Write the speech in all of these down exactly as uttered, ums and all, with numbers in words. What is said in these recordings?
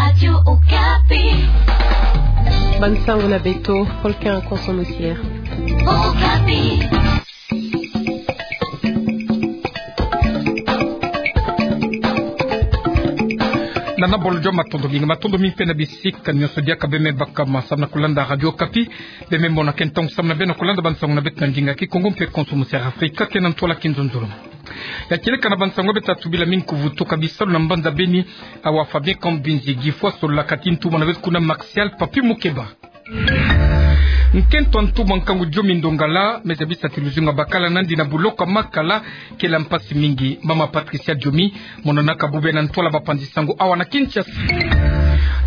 Radio Okapi. Bansango na beto, Volcan Konso Musiere. Okapi. Nana bolo jo matondo mingi, matondo mingi mpe na bisika nyonso diaka beme baka ma samu na kulanda Radio Okapi. Beme mona ke ntangu samu na beno kulanda bansango na beto na ndinga Kikongo mpe Konso Musiere Afrika, ke na ntwala Kinzonzolo. Ya kieleka na bansango beto ta tubila mingi kuvutuka bisalu na mbanza Beni, awa Fabien Kambinzi Gifwa asolaka ti ntumwa na beto kuna Martial Papi Mukeba. Nkento a ntumwa nkangu Diomi Ndongala, me zabisa ti luzingu abakala nandi na buloko a Makala, kela mpasi mingi. Mama Patricia Diomi, monanaka bubu na ntwala bapanzi sango awa na Kinshasa.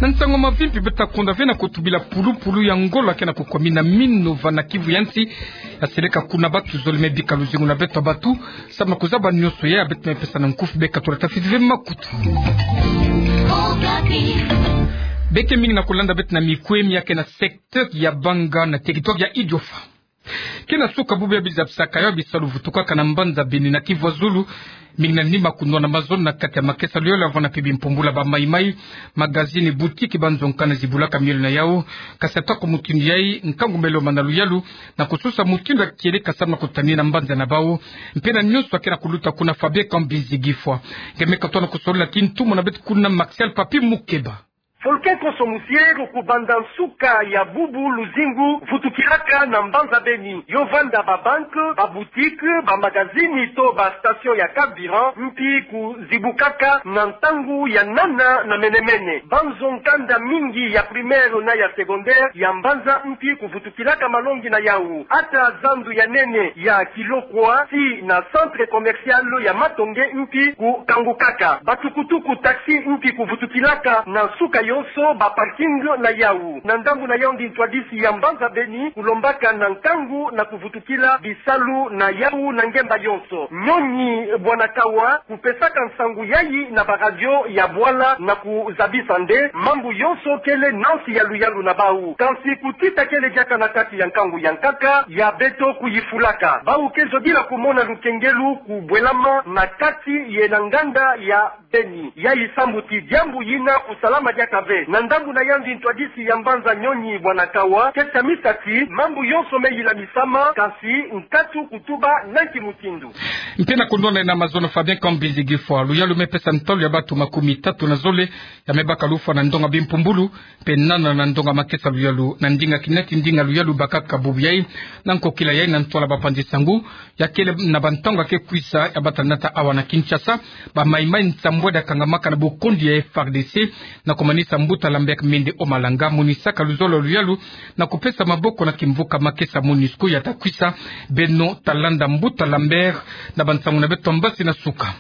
Na nsango mavimpi beto ta konda ve na kutubila pulupulu ya ngolo ke na kukwamina mino va na Kivu ya nsi, ya seleka kuna batu zole me bika luzingu na beto batu, samu na kuzaba nyonso ya beto me pesa na nkufi beka tula ta fiti ve makutu. Beke mingi na kulanda beto na mikwemi ya ke na secteur ya Banga na territoire ya Idiofa. Ke na suka bubu ya bizabisaka yo bisalu vutukaka na mbanza Beni na Kivu ya Zulu, mingi na nima kunwana mazono na kati ya makesa luyalu avana mpe bimpumbulu ya ba maimai, magazini, boutique, banzo nkanda zibulaka miole na yau. Kasi ata ko mutindu yai, nkangu me lomana luyalu na kususa mutindu ya kieleka samu na kutanina mbanza na bau, mpe na nyonso ya ke na kuluta kuna Fabien Kambinzi Gifwa. Nge me katoa na kusolola ti ntumwa na beto kuna Martial Papi Mukeba. Volcan Konso Musiere, kubanda nsuka ya bubu luzingu vutukilaka na mbanza Beni, yo vanda ba banque, ba boutique, ba magazini to ba station ya carburant mpi kuzibukaka na ntangu ya nana na mene-mene. Banzo nkanda mingi ya primaire na ya secondaire ya mbanza mpi kuvutukilaka malongi na yau. Ata zandu ya nene ya Kilokwa tii na centre commercial ya Matonge mpi kukangukaka. Batukutuku, taxi, mpi kuvutukilaka na nsuka yonso, ba parking na yau. Na ndambu na yandi, ntwadisi ya mbanza Beni kulombaka na nkangu na kuvutukila bisalu na yau na ngemba yonso. Nyonyi Bwana Kawa kupesaka nsangu yai na ba radio ya bwala na kuzabisa nde mambu yonso kele na nsi ya luyalu na bau. Kansi kutita kele diaka na kati ya nkangu ya nkaka ya beto kuyifulaka. Bau ke zodila kumona lukengelu kubwelama na kati ye na nganda ya Beni. Yai sambu ti diambu yina kusalama diaka ve. Na ndambu na yandi, ntwadisi ya mbanza Nyonyi Bwana Kawa ke tamisa ti mambu yonso me yilamisama, kansi nkatu kutuba na nki mutindu. Mpe na kundwana na mazono Fabien Kambinzi Gifwa, luyalu me pesa ntalu ya batu makumi tatu na zole ya me baka lufwa na ndonga bimpumbulu, mpe nana na ndonga makesa luyalu, na ndinga kina ti ndinga luyalu bakaka bubu yai, na nkokila yai na ntwala bapanzi sango, ya kele na bantangu ya ke kwisa ya bata nata awa na Kinshasa, ba maimai nsambwadi ya kangamaka na bukondi ya F A R D C, na kumanisa mbuta Lambert Mende Omalanga, monisaka luzolo luyalu, na kupesa maboko na kimvuka makesa MONUSCO ya ta kwisa. Beno ta landa mbuta Lambert na bansango na beto mbasi na suka.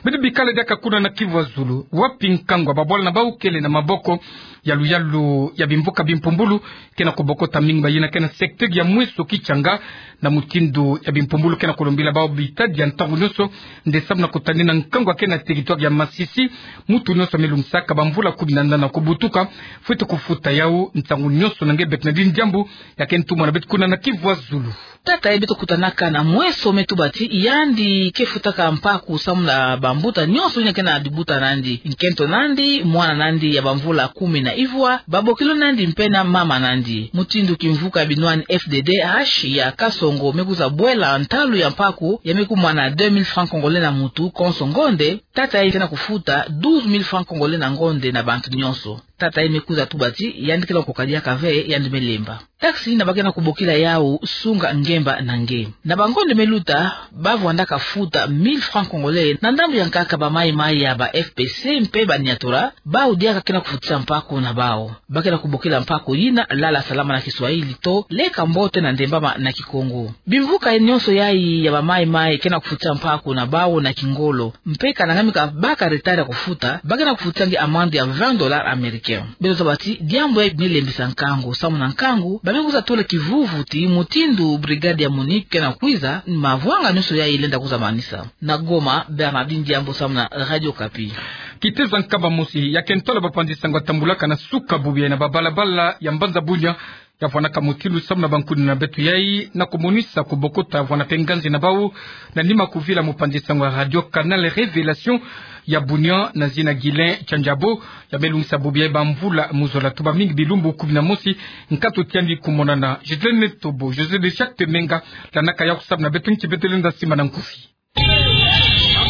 Beno bikala diaka kuna na Kivu ya Zulu, wapi nkangu ya babwala na bau kele na maboko ya luyalu ya bimvuka bimpumbulu, ke na kubokota mingi ba yina ke na secteur ya Mweso Kitshanga, na mutindu ya bimpumbulu ke na kulombila bau bitadi ya ntangu nyonso, nde samu na kutanina nkangu ya ke na territoire ya Masisi, mutu nyonso me lungisaka bamvula kumi na nana kubutuka, fwete kufuta yau ntangu nyonso. Na nge bek na dini diambu ya ke ntumwa na beto kuna na Kivu ya Zulu. Tata ye beto kutanaka na Mweso me tuba ti yandi ke futaka mpaku samu na bambuta nyonso yina ke na dibuta nandi, nkento nandi, mwana nandi ya bamvula kumi na ivwa, babokilo nandi mpe na mama nandi. Mutindu kimvuka binwani F D D H ya Kasongo me kwiza bwela ntalu ya mpaku, ya me kumwana deux mille francs congolais na mutu konso ngonde, tata ye ke na kufuta douze mille francs congolais na ngonde na bantu nyonso. Tata ye me kwiza tuba ti yandi ke na koka diaka ve, yandi me lemba. Taxi yina ba ke na kubokila yau sunga ngemba na nge. Na bangonde me luta, ba vwandaka futa mille francs congolais na ndambu ya nkaka ba maimai ya ba F P C mpe ba Nyatura, bau diaka ke na kufutisa mpaku na bau. Ba ke na kubokila mpaku yina Lala Salama na Kiswahili to Leka Mbote na Ndembama na Kikongo. Bimvuka nyonso yai ya ba maimai ke na kufutisa mpaku na bau na kingolo. Mpe kana ngamika baka retard ya kufuta, ba ke na kufutisa nge amande ya vingt dollars américains. Beto zaba ti diambu yai me lembisa nkangu, samu na nkangu ba me kwiza tula kivuvu ti mutindu brigade ya MONUC ke na kwiza, mavwanga nyonso yai lenda kwiza manisa. Na Goma, Bernardine Diambu samu na Radio Okapi. Kiteza Nkamba Mosi, ya ke ntwala bapanzi sango atambulaka na suka bubu yai na babalabala ya mbanza Bunia, ya vwanaka mutindu samu na bankuni na beto yai, na kumonisa kubokota vwana mpe nganzi na bau na nima kuvila mopanzi-nsangu ya radio Canal Révélation ya bunia na zina Guylain Tiandjabo, ya me lungisa bubu yai bamvula mu zola tuba mingi, bilumbu kumi na mosi, nkatu ti yandi kumonana. Julienne Tobo, José de Jacques Temenga, landaka yau samu na beto nki beto lenda simba na nkufi.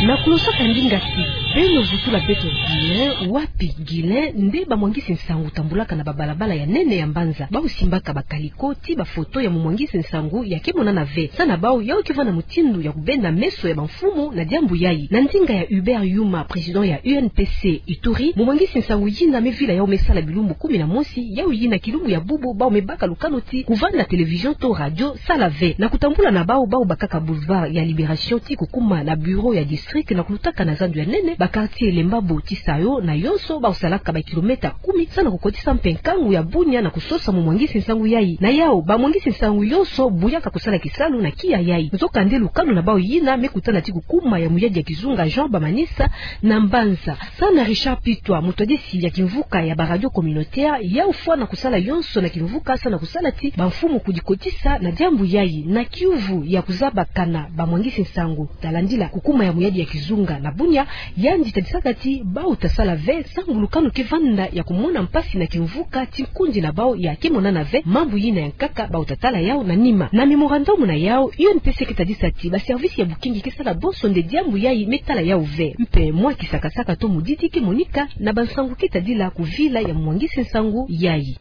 Na kulosaka ndinga ti, beno vutula beto Guylain, wapi Guylain, nde bamwangisi-nsangu tambulaka na babalabala ya nene ya mbanza, bau simbaka bakaliko ti bafoto ya momwangisi-nsangu ya ke monana ve. Samu na bau, yau ke vwanda mutindu ya kubenda meso ya bamfumu na diambu yai. Na ndinga ya Hubert Yuma, président ya U N P C Ituri, momwangisi-nsangu yina me vila yau me sala bilumbu kumi na mosi, yau yina kilumbu ya bubu bau me baka lukanu ti kuvanda télévision to radio sala ve. Na kutambula na bau, bau bakaka boulevard ya Libération ti kukuma na bureau ya district, na kulutaka na zandu ya nene, ba quartier Lembabo, Tisayo na yonso, bau salaka bakilomètre kumi, samu na kukotisa mpe nkangu ya bunia na kusosa momwangisi-nsangu yai. Na yau, bamwangisi-nsangu yonso buyaka kusala kisalu na kia yai. Nzokande lukanu na bau yina me kutana ti kukuma ya muyadi ya kizunga Jean Bamanisa na mbanza. Samu na Richard Pitwa, mutwadisi ya kimvuka ya baradio communautaire, yau fwana kusala yonso na kimvuka samu na kusala ti bamfumu kudikotisa na diambu yai, na kiuvu ya kuzabakana bamwangisi-nsangu talandila kukuma ya muyadi ya kizunga na bunia, yandi tadisaka ti bau tasala ve, samu lukanu ke vanda ya kumona mpasi na kimvuka ti nkundi na bau ya ke monana ve, mambu yina ya nkaka bau tatala yau na nima. Na mémorandum na yau, U N P C ke tadisa ti baservice ya bukingi ke sala bonso nde diambu yai me tala yau ve. Mpe mwa kisakasaka to mudidi ke monika na bansangu ke tadila kuvila ya momwangisi-nsangu yai.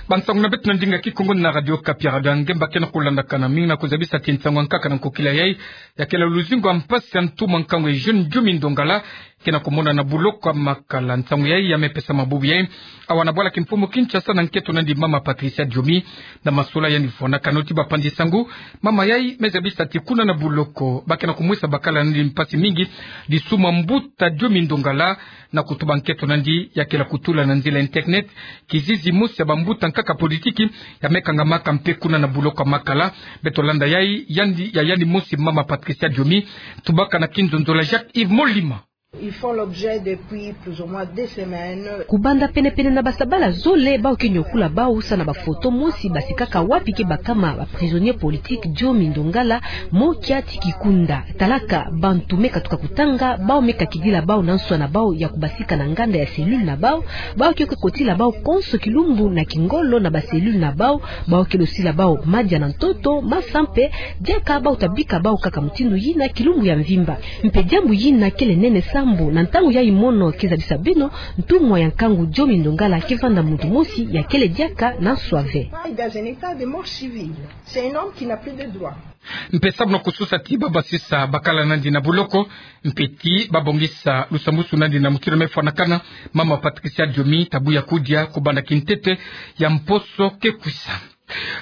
Bansangu na beto na ndinga Kikongo na Radio Okapi, Radio ya Ngemba, ke na kulandakana mingi, na kuzabisa ti nsangu ya nkaka na nkokila yai, ya kele luzingu ya mpasi ya ntumwa nkangu Eugène Diomi Ndongala, ke na kumonana na buloko ya Makala. Nsangu yai ya me pesama bubu yai awa na bwala kimfumu Kinshasa, na nkento na yandi mama Patricia Diomi. Na masola yandi vwanakano ti bapanzi-nsangu, mama yai me zabisa ti kuna na buloko, ba ke na kumwesa bakala na yandi mpasi mingi, disumu ya mbuta Diomi Ndongala, na kutuba nkento na yandi ya kele kutula na nzila internet kizizi mosi ya bambuta nkaka politiki ya me kangamaka mpe kuna na buloko ya Makala. Beto landa yai, yandi, ya yandi mosi mama Patricia Diomi, tubaka na kinzonzolo ya Jacques Yves Molima. Ils font l'objet depuis plus ou moins deux semaines. Kubanda penepene na basabala zole, bau ke nyokula bau samu na bafoto mosi basikaka, wapi ke bakama ba prisonnier politique Diomi Ndongala, mo kia ti kikunda. Talaka bantu me katuka kutanga, bau me kakidila bau na nswa na bau ya kubasika na nganda ya cellule na bau, bau ke kotila bau konso kilumbu na kingolo na ba cellule na bau, bau ke losila bau madia na ntoto, masa mpe, diaka bau tabika bau kaka mutindu yina kilumbu ya mvimba. Mpe diambu yina kele nene sambu na ntangu yai mono ke zabisa beno, ntumwa ya nkangu Diomi Ndongala ke vanda muntu mosi ya kele diaka na nswa ve. Dans un état de mort civile. C'est un homme qui n'a plus de droit. Mpe sambu na kusosa ti ba basisa bakala na yandi na buloko, mpe ti ba bongisa lusambusu na yandi na mutindu me fwanakana, mama Patricia Diomi tabu ya kudia kubanda kintete ya mposo ke kwisa.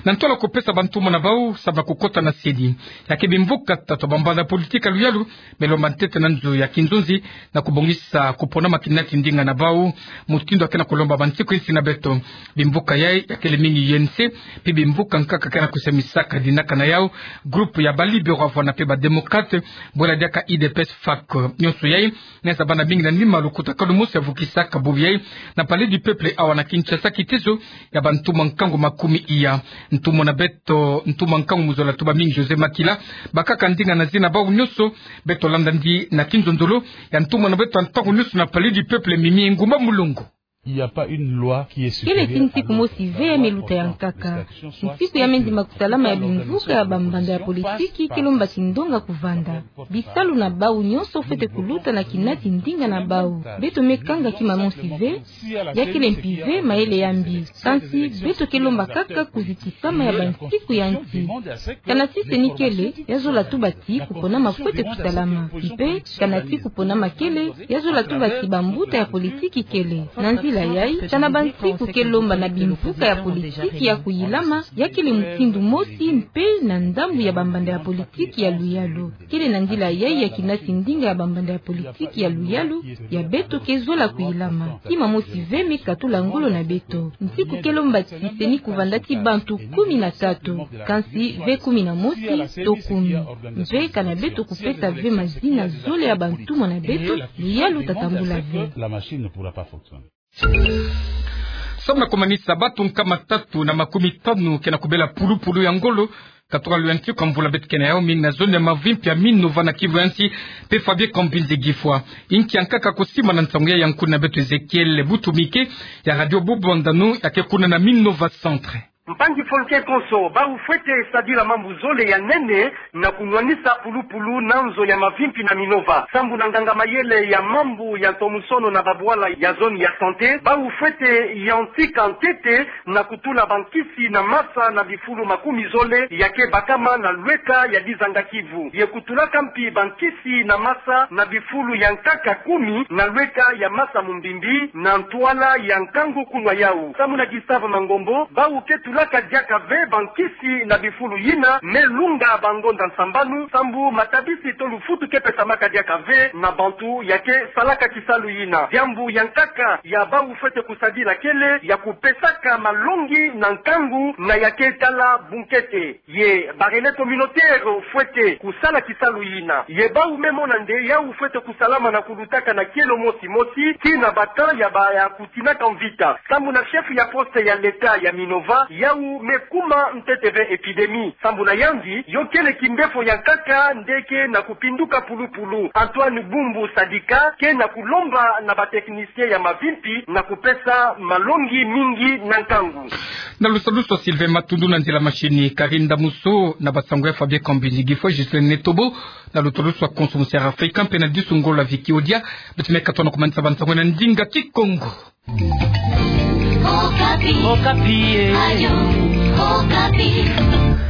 Na ntola kupesa bantumwa na bau sambu na kukota na CENI, ya ke bimvuka tatu ya bambanda politiki ya luyalu me lomba ntete na nzo ya kinzonzi na kubongisa kuponama kina ti ndinga na bau, mutindu ya ke na kulomba bansiku insi na beto. Bimvuka yai ya kele mingi U N C, mpe bimvuka nkaka ke na kusemisaka dinaka na yau, groupe ya ba libéraux vwana mpe ba démocrates, bwela diaka U D P S, FAC. Nyonso yai me zabana mingi na nima lukutakanu mosi ya vukisaka bubu yai na Palais du Peuple awa na Kinshasa, kitezo ya bantumwa nkangu makumi iya. Ntumwa na beto, ntumwa nkangu mu zola tuba mingi José Makila, bakaka ndinga na zina bau nyonso. Beto landa yandi na kinzonzolo ya ntumwa na beto ya ntangu nyonso na Palais du Peuple, Mimi Ngumba Mulongo. Il n'y a pas une loi qui est supérieure à l'autre. Kele ti nsiku mosi ve ya me luta ya nkaka. Nsiku ya me ndima kusalama ya bimvuka ya bambanda ya politiki ke lomba ti ndonga kuvanda. Bisalu na bau nyonso fwete kuluta na kina ti ndinga na bau. Beto me kanga kima mosi ve, ya kele mpi ve mayele ya mbi. Kansi beto ke lomba kaka kuzitisama ya bansiku ya nsi. Kana ti CENI kele, ya zola tuba ti kuponama fwete kusalama. Mpe kana ti kuponama kele, ya zola tuba ti bambuta ya politiki kele. Na nzila yai, kana bansiku ke lomba na bimvuka ya politiki ya kuyilama, ya kele mutindu mosi mpe na ndambu ya bambanda ya politiki ya luyalu. Kele na nzila yai ya kina ti ndinga ya bambanda ya politiki ya luyalu ya beto ke zola kuyilama. Kima mosi ve me katula ngolo na beto. Nsiku ke lomba ti CENI kuvanda ti bantu kumi na tatu, kansi ve kumi na mosi to kumi. Mpe kana beto kupesa ve mazina zole ya bantumwa na beto, luyalu tatambula ve. La machine ne pourra pas fonctionner. Samu na kumanisa bato nkama tatu na makumi tanu ke na kubela pulupulu ya ngolo, katoka lo ya nti kwa mvula beto ke na yaomi na zone ya mavimpi ya Minova na Kivu ya Nsi, pe Fabien Kambinzi Gifwa. Inki ya nkaka kusimana? Nsangu ya nkuna beto Ezekiel Butumike ya Radio Bubu Bandanu, ya ke kuna na Minova Centre. Mpangi Folke konso, bau fwete sadila mambu zole ya nene na kunwanisa pulupulu na nzo ya mavimpi na Minova. Sambu na nganga mayele ya mambu ya ntomosono na babwala ya zone ya santé, bau fwete yantika ntete na kutula bankisi na masa na bifulu makumi zole ya ke bakama na lweka ya dizanga Kivu. Ye kutulaka mpi bankisi na masa na bifulu ya nkaka kumi na lweka ya masa Mumbimbi na ntwala ya nkangu kunwa yau. Samu na Gustave Mangombo, bau ke tulaka diaka ve bankisi na bifulu yina, me lunga bangonda nsambanu, sambu matabisi to lufutu ke pesamaka diaka ve na bantu ya ke salaka kisalu yina. Diambu ya nkaka ya bau fwete kusadila kele ya kupesaka malongi na nkangu na ya ke tala bunkete. Ye ba relais communautaire fwete kusala kisalu yina. Ye bau me mona nde yau fwete kusalama na kulutaka na kielo mosi mosi, tii na ba temps ya ba ya kutinaka mvita. Sambu na chef ya poste ya l'État ya Minova, yau me kuma ntete ve épidémie. Sambu na yandi, yo kele kimbefo ya nkaka nde ke na kupinduka pulupulu. Antoine Bumbu Sadika ke na kulomba na ba technicien ya mavimpi na kupesa malongi mingi na nkangu. Na lusadusu Sylvain Matundu, na nzila machine Karine Damuso, na basango ya Fabien Kambinzi Gifwa, Ghislain Netobo, na lusadusu konso Monsieur Africain, mpe na disu ngolo Vicky Odia, beto me katono kumanisa bansango na ndinga Kikongo. Okapi. Okapi, eh. Radio Okapi.